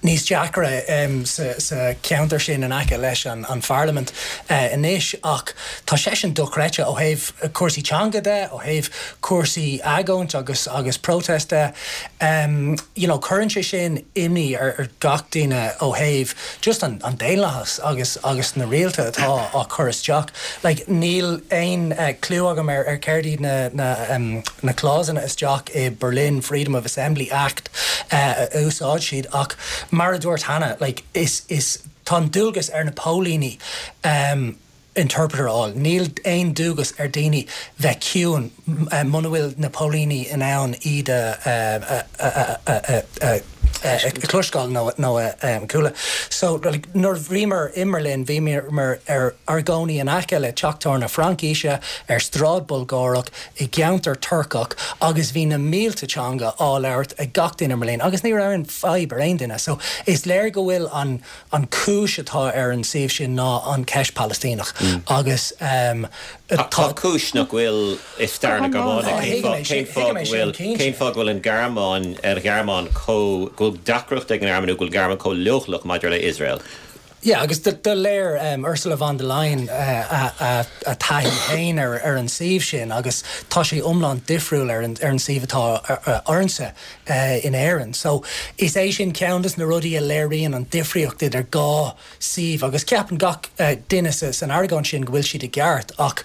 níos deacra um, sa, sa ceantar sin in aice leis an, an Pharlaimint uh, anois ach tá sé sin dochreidte ó thaobh cúrsaí teanga de ó thaobh cúrsaí agóint agus agus protest de um, you know, cuireann sé sin imní ar, ar gach duine ó thaobh just an, an daonlathas agus agus na rialacha atá á chur isteach. Like, níl aon uh, clue agam ar ar céard iad na, na, um, na clauseanna isteach i Berlin Freedom of Assembly Act uh, a úsáid siad ach mar a dúirt Hannah like, is, is tá dualgas ar na póilíní um, interpreter fháil. Níl aon dualgas ar daoine bheith ciúin uh, muna bhfuil na póilíní in ann iad a chloisteáil nó nó um, chuala. So like, nuair bhíomar i mBerlin bhíomar ar ár gcónaí in aice le teach tábhairne Fraincise ar stráid Bulgárach i gceantar Turcach agus bhí na mílte teanga á labhairt ag gach duine i mBerlin agus ní raibh aon fadhb ar aon duine. So is léir go bhfuil an an cúis atá ar an suíomh sin ná an ceist Palaistíneach mm. agus um, Tá cúis nach bhfuil i stair na Gearmáine cén fáth go bhfuil an Ghearmáin ar Ghearmáin có go bhfuil deacracht ag an Ghearmáin go bhfuil Gearmáin chomh leochaileach maidir le Israel. Yeah, agus do léir um, Ursula von der Leyen uh, a, a, a taithí féin ar, ar an suíomh sin agus tá sé iomlán difriúil ar an, ar an suíomh atá orainne uh, in Éirinn. So is é sin ceann de na rudaí a léiríonn an difríocht idir dhá suíomh agus ceapann gach uh, duine san argóint sin go bhfuil siad i gceart ach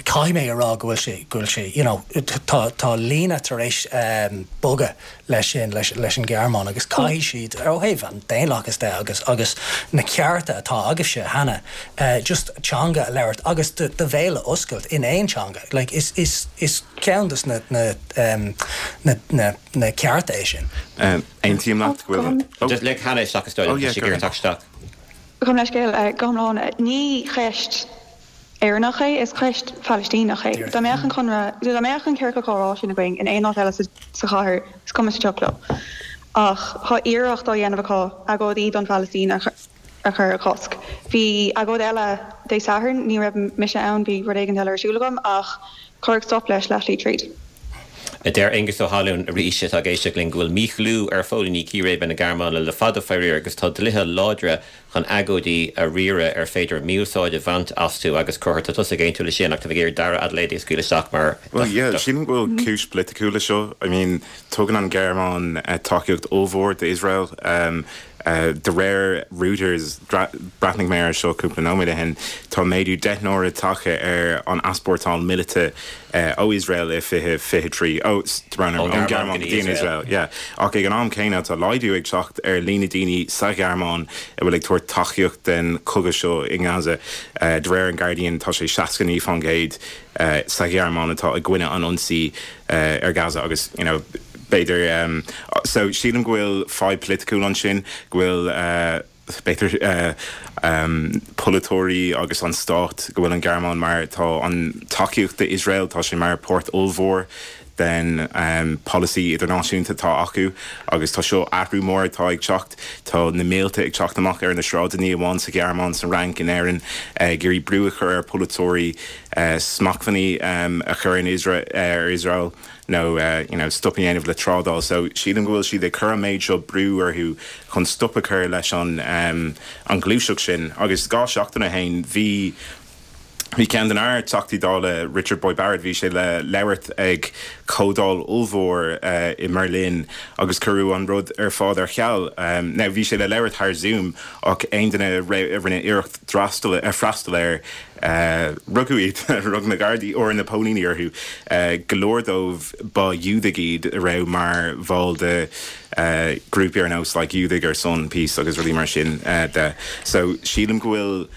caithfidh mé a rá go bhfuil sé go bhfuil sé you know, tá, tá líne tar éis um, bogadh leis sin leis, leis an Ghearmáin agus caithfidh siad ó thaobh an daonlathas de agus agus na cearta atá agaibhse Hannah uh, just teanga a labhairt agus do bhéal a oscailt in aon teanga like is is is ceann de na na um, na na na cearta é sin. Um, Aontaím leat go bhfuil oh. Just le Hannah isteach is Oh, yeah, dóigh go ahead. isteach. Gabh mo leithscéal uh, go hiomlán ní cheist Éireannach é is ceist Phalaistíneach é. Dá mbeadh an conradh dá mbeadh an ciorcal comhrá sin againn in aon áit eile sa sa chathair is cuma sa tsioc leo. Ach tá iarracht á dhéanamh acu agóidí don Phalaistín a a chur a chosc. Bhí agóid eile Dé Sathairn ní raibh mise ann bhí rud éigin eile ar siúl agam ach cuireadh stop leis leathlí tríd. Deir Aengus Ó hAlún arís atá ag éisteacht linn go bhfuil míchlú ar phóilíní círéibe na Gearmáine le fada faraor agus tá dlíthe láidre chun agóidí a riaradh ar féidir mí-úsáid a bhaint astu agus Conchúr tá tusa ag aontú leis sin ach tá ag iarraidh Dara Adelaide a scaoileadh isteach mar Well, yeah, sílim go bhfuil cúis pholaitiúil leis seo. I mean, tugann an Ghearmáin uh, tacaíocht ollmhór d'Israel. Um, uh, de réir Reuters bhreathnaigh mé air seo cúpla nóiméad ó shin tá méadú deich n-uaire tagtha ar an easpórtáil míleata uh, ó Israel i fiche fiche trí ó ón Ghearmáin go dtí Israel. Yeah. Ach ag an am céanna tá laghdú ag teacht ar líon na ndaoine sa Ghearmáin a bhfuil ag tabhairt tacaíocht den chogadh seo i nGaza. Uh, de réir an Guardian tá sé seasca naoi faoin gcéad uh, sa Ghearmáin atá i gcoinne an ionsaí uh, ar Gaza agus you know, b'fhéidir um, so sílim go bhfuil fadhb pholaitiúil ansin go bhfuil uh, b'fhéidir uh, um, polaiteoirí agus an stát go bhfuil an Ghearmáin mar tá an tacaíocht d'Israel tá sé mar páirt ollmhór den um, policy idirnáisiúnta atá acu agus tá seo athrú mór atá ag teacht tá na mílte ag teacht amach ar na sráideanna ní amháin sa Ghearmáin san Fhrainc in Éirinn ag iarraidh brú a chur ar polaiteoirí uh, smachtbhannaí um, a chur in Israel ar Israel nó uh, you know, stop a dhéanamh le trádáil, so sílim go bhfuil siad ag cur an méid seo brú orthu chun stop a chur leis an um, an gluaiseacht sin agus dhá seachtain ó shin bhí Bhí ceann de na Teachtaí Dála Richard Boyd Barrett bhí sé le labhairt ag comhdháil ollmhór uh, i mBerlin agus cuireadh an rud ar fad ar ceal. Um, now bhí sé le labhairt thar Zoom ach aon duine a rinne iarracht freastal ar freastal air uh, rugadh iad rug na Gardaí or na póilíní orthu uh, go leor dóibh ba Iúdaigh iad a raibh mar bhall de uh, grúpaí ar nós like Iúdaigh ar son peace agus rudaí mar sin uh, de. So sílim go bhfuil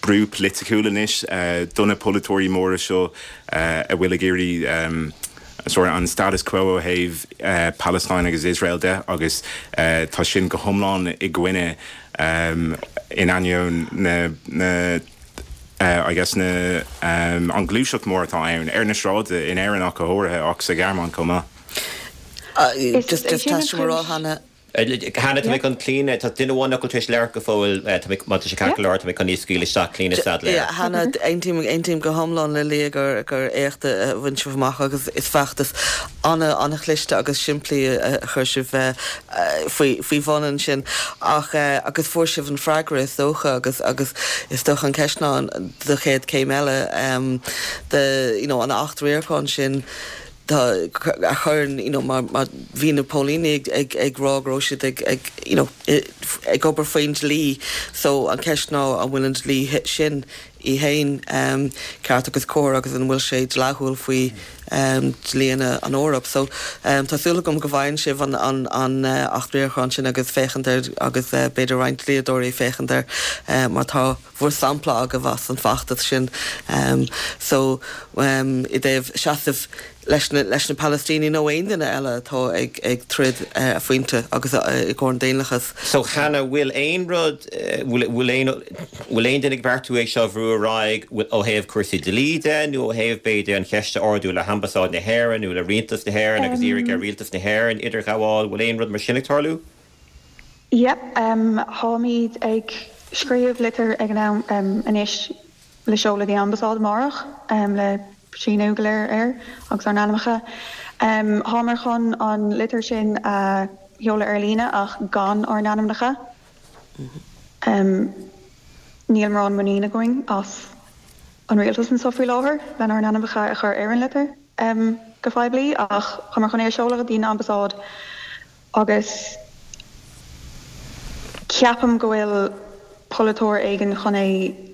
brú polaitiúil anois uh, do na polaiteoirí móra seo uh, a bhfuil ag iarraidh um, sort an status quo ó thaobh uh, Palestine agus Israel de agus uh, tá sin go hiomlán i gcoinne um, in ainneoin na, na uh, I guess na um, an gluaiseacht mór atá ann ar na sráideanna in Éirinn ach go háirithe ach sa Ghearmáin chomh maith. Uh, just just tá Hannah Hannah tá chun Clíona tá duine amháin nach bhfuil tar éis labhairt go fóill má tá sé ceart tá chun í scaoileadh isteach Clíona Saidléar. Hannah aontaím aontaím go hiomlán le Lia gur gur éacht a bhain sibh amach agus is feachtas an- an-chliste agus simplí a chuir sibh faoi faoi bhun sin ach agus fuair sibh an freagra is dócha agus agus is dócha an cheist ná do chéad céim eile de you know, an acht riaracháin sin tá a chuireann you know, mar, mar bhí na póilíní ag, ag, ag rá go raibh siad ag, ag, you know, ag obair faoin dlí so an ceist ná an bhfuil an dlí sin í féin um, ceart agus cóir agus an bhfuil sé dleathúil faoi um, dlíthe an Eoraip. So um, tá súil agam go bhfaigheann sibh an, an, an uh, acht riaracháin sin agus féachaint air agus uh, b'fhéidir roinnt dlíodóirí féachaint air uh, mar tá bhur sampla agaibh as an bhfeachtas sin. Um, so um, i dtaobh seasamh leis na, leis na Palestínigh nó aon duine eile atá ag, ag troid uh, a phointe agus uh, i gcomhair an daonlathas. So Hannah bhfuil aon rud bhfuil aon bhfuil aon duine ag beartú é seo bhrú ar aghaidh ó thaobh cúrsaí dlí de nó ó thaobh b'fhéidir an cheist a ardú le hAmbasáid na hÉireann nó le rialtas na hÉireann agus iarraidh ar rialtas na hÉireann idirghabháil bhfuil aon rud mar sin ag tarlú? Yep, um, táimid ag scríobh litir ag an am um, anois le seoladh an ambasáid amárach um, le síniú go léir air agus ár n-ainmneacha. Um, Táimid chun an litir sin a sheoladh ar líne ach gan ár n-ainmneacha. Um, Níl mórán muinín againn as an rialtas anseo faoi láthair lenár n-ainmneacha a chur ar an litir um, go poiblí ach táimid chun é a seoladh go dtí an ambasáid agus ceapaim go bhfuil polaiteoir éigin chun é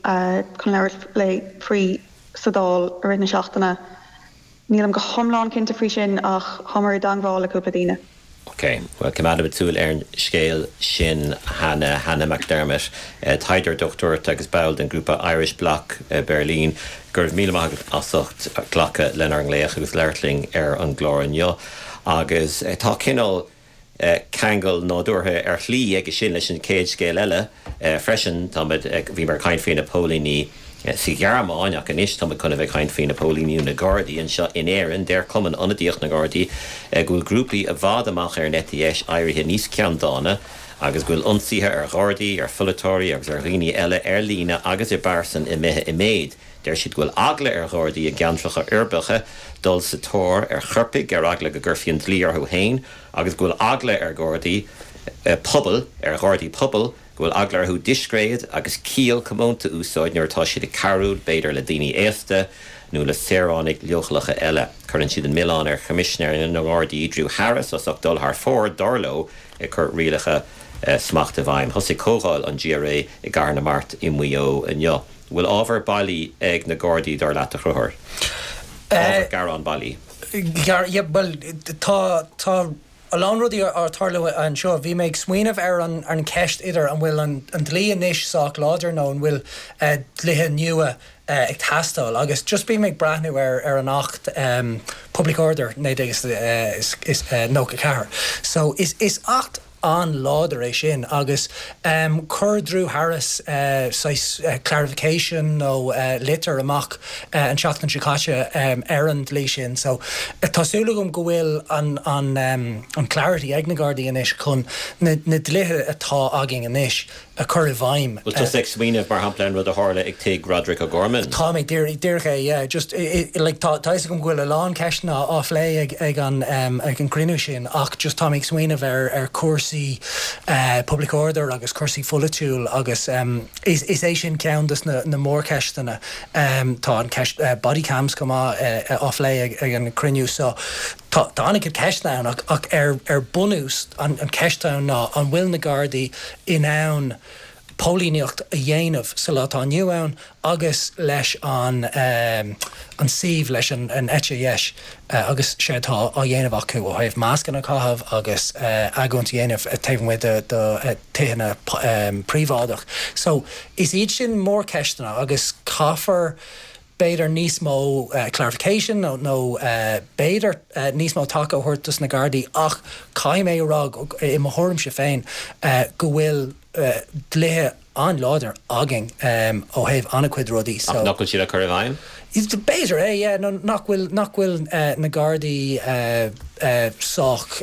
uh, chun labhairt le faoi sa Dáil i rith na seachtaine. Nílim go hiomlán cinnte faoi sin ach táimid i dteagmháil le cúpla daoine. Ok, well coimeádfaimid súil ar an scéal sin Hannah Hannah McDermott, uh, taighdeoir dochtúireachta agus ball den grúpa Irish Bloc uh, Berlin, gur míle maith agat as ucht glacadh lenár nglaoch agus labhairt linn ar an gclár inniu. agus uh, tá cineál uh, ceangal nádúrtha ar shlí aige sin leis an chéad scéal eile uh, freisin tá bhí mar caint faoi na póilíní sa Ghearmáin ach anois tá chun a bheith caint faoi na póilíní na Gardaí anseo in Éirinn deir Cumann Ionadaíoch na Gardaí go bhfuil grúpaí i bhfad amach ar an eite dheis éirithe níos ceanndána agus go bhfuil ionsaithe ar Ghardaí ar pholaiteoirí agus ar dhaoine eile ar líne agus i bpearsan imithe i méid. Deir siad go bhfuil eagla ar Ghardaí i gceantracha uirbeacha dul sa tóir ar choirpigh ar eagla go gcuirfí an dlí orthu féin agus go bhfuil eagla ar Ghardaí eh, pobail ar Ghardaí pobail go bhfuil eagla orthu discréid agus ciall comónta úsáid nuair atá siad ag cabhrú b'fhéidir le daoine aosta nó le saoránaigh leochaileacha eile. Cuireann siad an milleán ar Choimisinéir na nGardaí Drew Harris as ucht dul thar fóir dar leo ag cur rialacha uh, smacht i bhfeidhm. Thosaigh comhdháil an GRA i gCathair na Mart i Maigh Eo inniu. Bhfuil ábhar bailí ag na Gardaí dar leat a Chonchúir. Ábhar gearán bailí. Yeah, well tá tá a lán rudaí ag tarlú anseo bhí mé ag smaoineamh ar an an ceist idir an bhfuil an, an dlí anois sách láidir nó an bhfuil uh, dlíthe nua uh, ag teastáil agus just bí mé ag breathnú ar ar an acht um, Public Order naoi déag is, uh, is, is uh, nócha ceathair. So is is acht an-láidir é sin agus um, chuir Drew Harris uh, uh, clarification nó uh, litir amach uh, an seachtain seo caite um, ar an dlí sin so uh, tá súil agam go bhfuil an, an, um, an clarity ag na Gardaí anois chun na, na dlíthe atá againn anois a chur i bhfeidhm. Bhfuil tú ag smaoineamh mar shampla an rud a tharla ag tigh Roderick O'Gorman. Tá mé díreach é yeah, just i, i, like, tá tá go bhfuil a lán ceisteanna á phlé ag, ag an um, ag an gcruinniú sin ach just tá mé ag smaoineamh ar ar cúrsaí cúrsaí public order agus cúrsaí pholaitiúil agus is is é sin ceann des na na mórcheisteanna. Tá an ceist body cams chomh maith á phlé ag ag an cruinniú so tá tá an-chuid ceisteanna ann ach ach ar ar bunús an an ceist ann ná an bhfuil na Gardaí in ann póilíneacht a dhéanamh sa lá atá inniu ann agus leis an an suíomh leis an an eite dheis agus sé atá á dhéanamh acu ó thaobh mascanna a chaitheamh agus agóint a dhéanamh taobh amuigh de de tithe príobháideach. So is iad sin mórcheisteanna agus caithfear b'fhéidir níos mó clarification nó nó b'fhéidir níos mó taca a thabhairt dos na Gardaí ach caithfidh mé a rá i mo thuairimse féin go bhfuil dlíthe an-láidir againn ó thaobh an-chuid rudaí so. Ach nach bhfuil siad á cur i bhfeidhm? B'fhéidir é, yeah, nó nach bhfuil nach bhfuil na Gardaí sách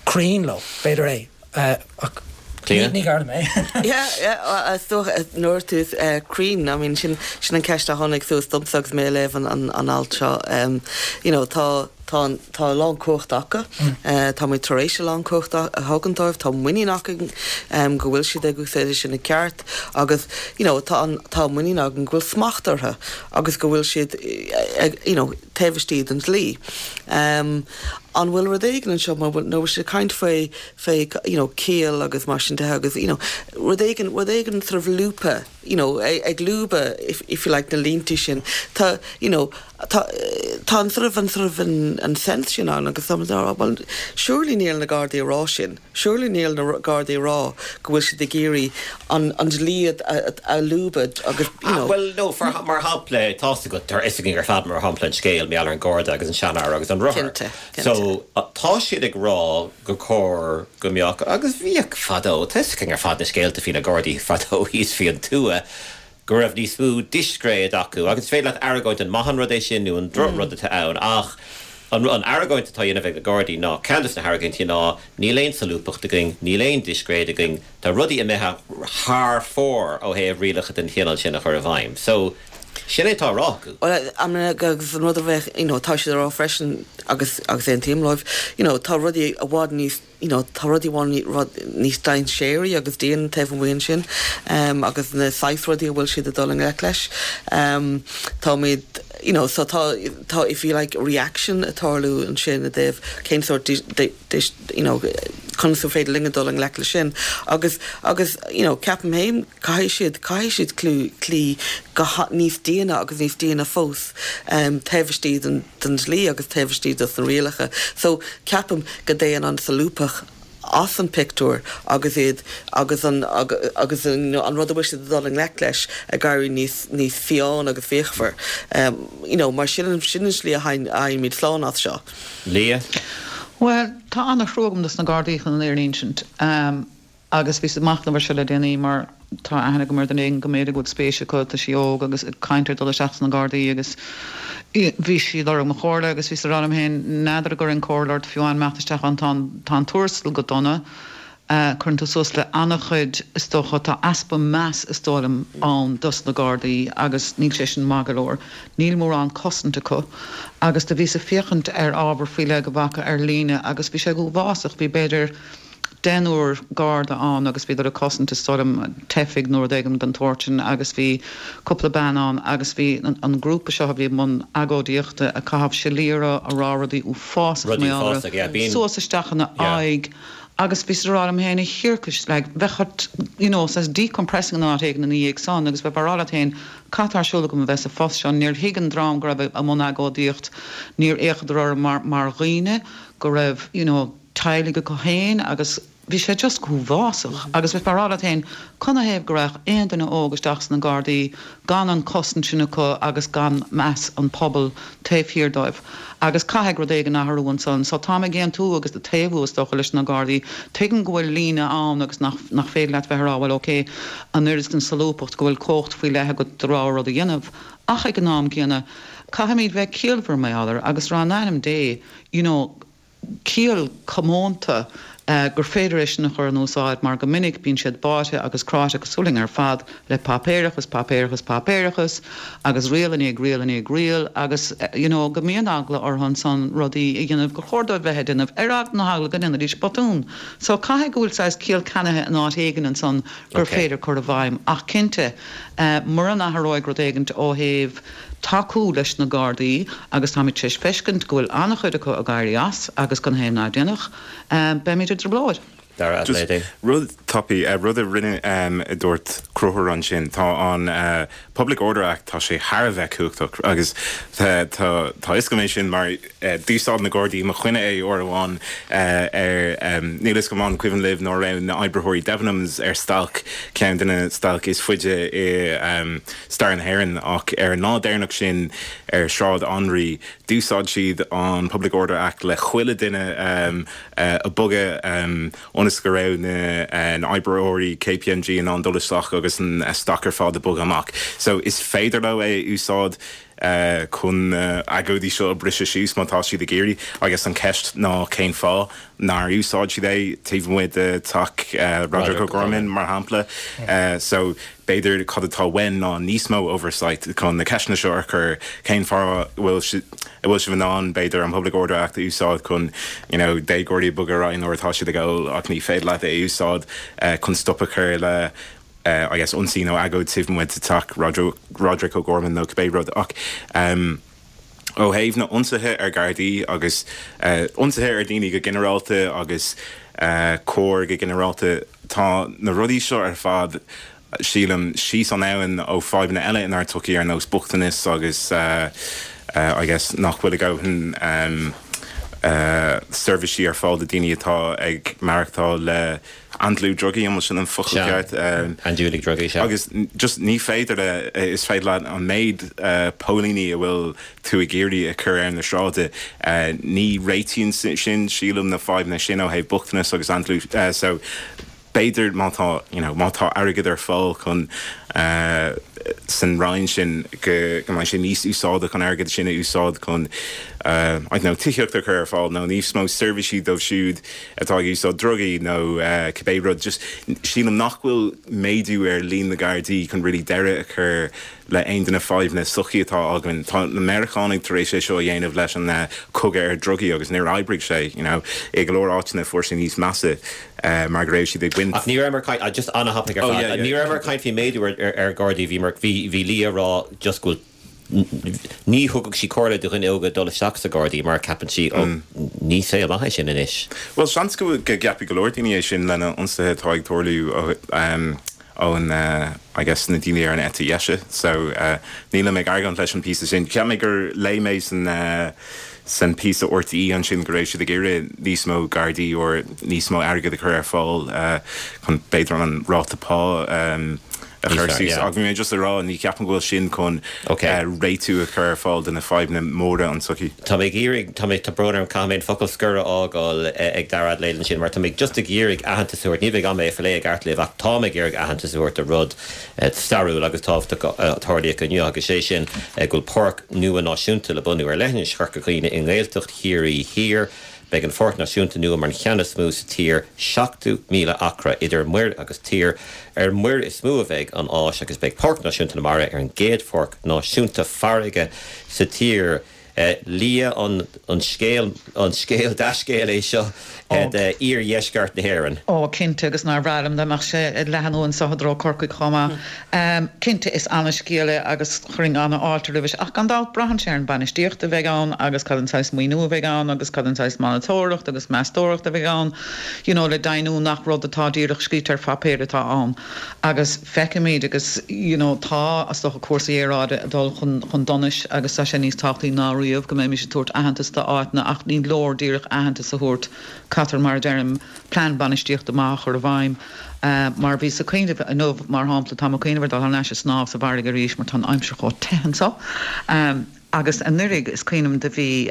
cruinn leo, b'fhéidir é. Ach ní Garda mé. Yeah, yeah, is dócha nuair tú cruinn, I mean sin sin an ceist a tháinig suas domsa agus mé ag léamh an an an alt seo. You know, tá tá tá a lán cumhacht acu, tá muid tar éis a lán cumhacht a thugann dóibh, tá muinín againn go bhfuil siad ag úsáid sin i gceart agus you know, tá an tá muinín againn go bhfuil smacht orthu agus go bhfuil siad you know, taobh istigh den dlí. An bhfuil rud éigin anseo mar bhfuil nó bhfuil siad ag caint faoi faoi you know ciall agus mar sin de agus you know rud éigin rud éigin sort of lúbtha you know ag lúbadh if, if you like na línte sin tá you know tá tá an sort of an sort of an, an sense sin ann agus tá á well surely níl na Gardaí ag rá sin surely níl na Gardaí ag rá go bhfuil siad ag iarraidh an an dlí a, a lúbadh agus you know Well no for, mar shampla tá go tar is ar fad mar shampla an scéal maidir an Garda agus an seanfhear agus an rothar. Cinnte, cinnte. So tá siad ag rá gur chóir go mbeadh agus bhíodh fadó tá ar fad na scéalta faoi na Gardaí fadó thíos faoin tuath go raibh níos mó discréid acu agus féidir leat argóint an maith an rud é sin nó an drochrud atá ann ach an an argóint atá déanta ag na Gardaí ná ceann de na hargóintí ná níl aon solúbthacht againn, níl aon discréid againn, tá rudaí imithe thar fóir ó thaobh rialacha den chineál sin a chur i bhfeidhm. So sin é atá á rá acu. Well, I mean, agus an rud a bheith, you know, tá siad ag rá freisin agus agus aontaím leo, you know, tá rudaí i bhfad níos you know, tá rudaí rud níos dainséaraí agus dian taobh amuigh ansin um, agus na saghas rudaí a bhfuil siad ag dul i ngleic leis. Um, Táimid you know, so tá tá if you like reaction ag tarlú ansin i dtaobh cén sórt you know, conas is féidir linn dul i ngleic le sin agus agus you know, ceapaim féin caithfidh siad caithfidh siad clú clí go níos déine agus níos déine fós um, taobh istigh den, den dlí agus taobh istigh dos na rialacha. So ceapaim go dtéann an solúbthacht as an pictiúr agus iad agus an agus an, an rud a bhfuil siad dul i ngleic leis ag éirí níos níos fiáin agus fíochmhar. Um, you know, mar sin sin an slí a théimid slán as seo. Lia? Well, tá an-thrua agam dos na Gardaí chun an fhírinne a insint. Um, agus bhí machnamh air seo le déanaí mar tá aithne agam ar dhuine éigin go mb'fhéidir go bhfuil spéis acu tá sí óg agus ag caint ar dul isteach sna Gardaí agus bhí sí ag lorg mo chomhairle agus bhí rá liom féin n'fheadar gur an comhairle ort fiú imeacht isteach an tá tá an tuarastal go dona. Uh, Cuireann tú suas le an-chuid is dócha tá easpa meas is dóigh liom ann dos na Gardaí agus níl sé sin maith go leor. Níl mórán cosaint acu agus do bhíos ag féachaint ar ábhar faoi le go bhfaca ar líne agus bhí sé go huafásach bhí b'fhéidir deichniúr Garda ann agus bhí a cosaint is dóigh liom teifigh nó rud éigin den tsórt sin agus bhí cúpla bean ann agus bhí an, an grúpa seo a bhí mbun agóidíochta ag caitheamh siléara ag rá rudaí uafásach Rudaí uafásach, yeah, bíonn- suas isteach ina aghaidh agus bhí rá liom féin a thiarcais like, bheadh you know, says decompressing an áit éigin ina dhiaidh san agus bheith rá féin cad tá ar siúl agam a bheith sa phost seo níor thuig an dream go raibh i mbun agóidíocht níor fhéachadar orm mar, mar dhaoine go raibh you know, teaghlaigh acu féin agus bhí sé just go huafásach agus bheith rá féin canathaobh go rachadh aon duine óg isteach sna Gardaí gan an cosaint sin acu agus gan meas an pobal taobh thiar dóibh. Agus caithfidh rud éigin athrú ansan, so tá ag aontú agus ag taobhú is dócha leis na Gardaí, Tuigim go bhfuil líne ann agus nach, nach féidir leat bheith rá well okay, an oiread den solúbthacht go bhfuil cumhacht faoi leith agat do rogha rud a dhéanamh. Ach ag an am céanna caithfimid bheith ciallmhar mar agus rá in ainm Dé, you know, ciall comónta gur féidir é sin a chur in úsáid mar go minic bíonn siad báite agus cráite cosúil linn ar fad le páipéarachas, páipéarachas, páipéarachas agus riail i ndiaidh riail i ndiaidh riail agus you know go mbíonn eagla orthu ansan rudaí a dhéanamh gur chóir dóibh bheith ag déanamh ar eagla na heagla go ndéanfaidís botún. So caithfidh go bhfuil saghas ciall ceannaithe in áit éigin ansan gur féidir cur i bhfeidhm ach cinnte mura n-athróidh rud éigint ó thaobh tacú leis na Gardaí agus táimid tar éis feiscint go bhfuil an-chuid acu ag éirí as agus gan haon ná déanach, beimid i dtrioblóid. Dara Just Adelaide. rud tapaidh, rud a rinne, a dúirt Conchúr ansin, tá an Public Order Act, tá sé thar a bheith cumhachtach agus tá tá fhios agam é sin mar d'úsáid na Gardaí i mo choinne é uair amháin ar, níl fhios agam an cuimhin libh nuair a raibh na oibritheoirí Debenhams ar stailc, ceann de na stailc is faide i stair na hÉireann ach ar an lá deireanach sin ar Sráid Anraí d'úsáid siad an Public Order Act le chuile duine a bogadh ionas go raibh na oibritheoirí KPMG in ann dul isteach agus an stoc ar fad a bogadh amach. So is féidir leo é a úsáid chun na agóidí seo a briseadh síos má tá siad ag iarraidh agus an ceist ná cén fáth nár úsáid siad é taobh amuigh de teach Roderic O'Gorman mar shampla. So b'fhéidir cad atá uainn ná níos mó oversight chun na ceisteanna seo a chur, cén fáth a bhfuil a bhfuil sibh in ann b'fhéidir an Public Order Act a úsáid chun you know déagóirí a bogadh ar aghaidh nuair atá siad ag ól ach ní féidir leat é a úsáid chun stop a chur le I guess ionsaí nó agóid taobh amuigh de teach Roderic O'Gorman nó cibé rud ach um, ó thaobh na ionsaithe ar Ghardaí agus ionsaithe ar daoine go ginearálta agus coir go ginearálta, tá na rudaí seo ar fad sílim síos an abhainn ó fadhbanna eile inár tsochaí ar nós bochtanas agus I guess nach bhfuil a ndóthain seirbhísí ar fáil do daoine atá ag maireachtáil le andlú drugaí, an bhfuil sin an focal ceart? Andúiligh drugaí, sea. Agus just ní féidir le, is féidir leat an méid póilíní a bhfuil tú ag iarraidh a chur ar na sráide, ní réitíonn sin, sílim, na fadhbanna sin ó thaobh bochtanas agus andlú. So b'fhéidir má tá, you know, má tá airgead ar fáil chun san roinn sin go go mbeidh sé níos úsáideach an airgead sin a úsáid chun I don't know, tithíocht a chur ar fáil nó níos mó seirbhísí dóibh siúd atá ag úsáid drugaí nó cibé rud. Just sílim nach bhfuil méadú ar líon na Gardaí chun really deireadh a chur le aon de na fadhbanna sochaí atá againn. Tá na Meiriceánaigh tar éis é seo a dhéanamh leis an cogadh ar drugaí agus níor oibrigh sé, you know. I go leor áiteanna fuair sé níos measa mar go raibh siad ag baint. Ach ní rabhamar ag caint, just an-thapaidh ar fad, ní rabhamar ag caint faoi méadú ar Ghardaí, bhí, bhí, bhí Lia ag rá just go bhfuil, ní thugadh sí comhairle do dhuine óga dul isteach sa Gardaí mar ceapann sí, ó, ní saol maith é sin anois. Bhuel, seans go gceapfaidh go leor daoine é sin le na ionsaithe atá ag tarlú ón, I guess, na daoine ar an eite dheise. So, nílim ag argóint leis an píosa sin. Cheap mé gur léigh mé san san píosa RTÉ ansin go raibh siad ag iarraidh níos mó Gardaí or níos mó airgead a chur ar fáil chun b'fhéidir an ráta pá a chur suas. Ach bhí mé just ag rá, ní cheapaim go bhfuil sin chun réitiú a chur ar fáil do na fadhbanna móra an tsochaí. Tá mé ag iarraidh, tá mé, tá brón orm, caithfidh mé an focal scoir a fhágáil ag Dara Adelaide ansin mar tá mé just ag iarraidh aitheantas a thabhairt, ní bheidh am é a phlé i gceart libh ach tá mé ag iarraidh aitheantas a thabhairt do rud stairiúil agus tábhachtach a tarlaíodh inniu agus sé sin go bhfuil páirc nua náisiúnta le bunú ar leithinis Chorca Dhuibhne i nGaeltacht Chiarraí Thiar. Beidh an Pháirc Náisiúnta nua mar an cheann is mó sa tír, seachtó míle acra idir muir agus tír. Ar muir is mó a bheidh an áis agus beidh Páirc Náisiúnta na Mara ar an gcéad pháirc náisiúnta farraige sa tír. Lia, an scéal, an scéal, dea-scéal é seo d'iardheisceart na hÉireann? Ó, cinnte, agus nár bhreá liom dá mbeadh sé ag leathnú anso i dtreo Corcaigh chomh maith. Cinnte, is ana-scéal é agus chuirfinn ana-fháilte roimhis, ach gan dabht braitheann sé ar an bainistíocht a bheidh ann agus cad an saghas maoiniú a bheidh ann agus cad an saghas monatóireacht agus meastóireacht a bheidh ann, you know, le deimhniú nach rud atá díreach scríte ar phaipéar atá ann. Agus feicfimid agus, you know, tá, is dócha, cúrsaí aeráide ag dul chun, chun donais agus tá sé níos tábhachtaí ná riamh go mbeimis ag tabhairt aitheantas d'áiteanna ach ní leor díreach aitheantas a thabhairt, caithfear, mar a deirim, plean bainistíochta maith a chur i bhfeidhm. Mar bhíos ag cuimhneamh inniu, mar shampla, táim ag cuimhneamh ar dul thar n-ais ag snámh sa bhfarraige arís mar tá an aimsir chomh te anseo. Agus anuraidh, is cuimhin liom do bhí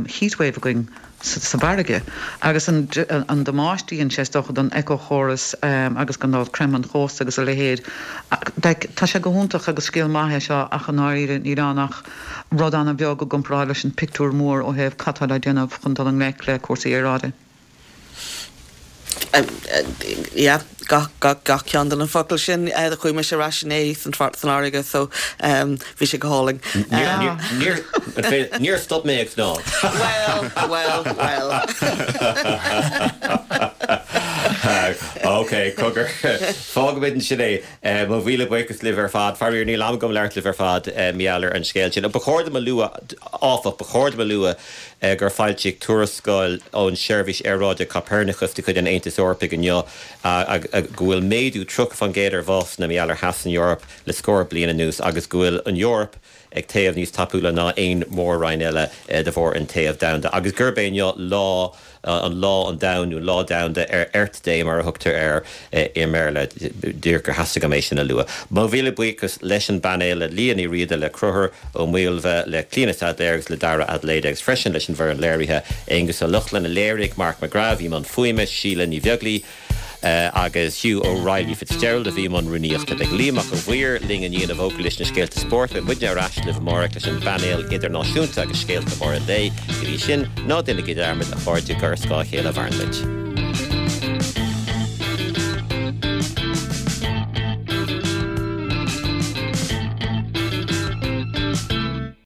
heatwave againn sa bhfarraige agus an damáiste a dhein sé is dócha don éiceachóras agus gan dabht creimeadh an chósta agus a leithéid. Like, tá sé go hiontach agus scéal maith é seo ach i ndáiríre níl ann ach rud an-bheag i gcomparáid leis an pictiúr mór ó thaobh cad tá le déanamh chun dul i ngleic le cúrsaí aeráide. Yeah, gach gach gach ceann de na focail sin eh, chuaigh mise ar ais inné san san fharraige so um, bhí sé go hálainn. Níor stop mé ag snámh. Well, well, well. Ok, cogar. Fágfaimid ansin é eh, mo mhíle buíochas libh ar fad, faraor níl am agam labhairt libh ar fad eh, mar gheall ar an scéal sin. Ba chóir dom a lua áfach ba chóir dom a lua eh, gur foilsíodh tuarascáil ón seirbhís aeráide Copernicus de chuid an Aontais Eorpaigh inniu go bhfuil méadú tríocha faoin gcéad ar bhásanna mar gheall ar theas san Eoraip le scór bliain anuas agus go bhfuil an Eoraip ag téamh níos tapúla ná aon mhór-roinn eile de bharr an téamh domhanda agus gurb é inniu lá an lá an domhan nó lá domhanda ar Earth Day mar a thugtar air i mBéarla díreach gur theastaigh uaim é sin a lua. Mo mhíle buíochas leis an bpainéal le Liadh Ní Riada le Conchúr Ó Maoilbhe le Clíona Saidléar agus le Dara Adelaide agus freisin leis an bhfoireann léirithe Aonghus Ó Lochlainn a léirigh Mark McGrath i mbun fuaime Síle Ní Bheaglaoich agus Hugh O'Reilly Fitzgerald a bhí i mbun rúnaíochta. Beidh Liam Mac an Mhaoir linn i ndiaidh na bhfógraí leis na scéalta spóirt, beidh muidne ar ais libh amárach leis an bpainéal idirnáisiúnta agus scéalta móra an lae. Go dtí sin, ná déanaigí dearmad a chairde gur ar scáth a chéile a mhaireann muid.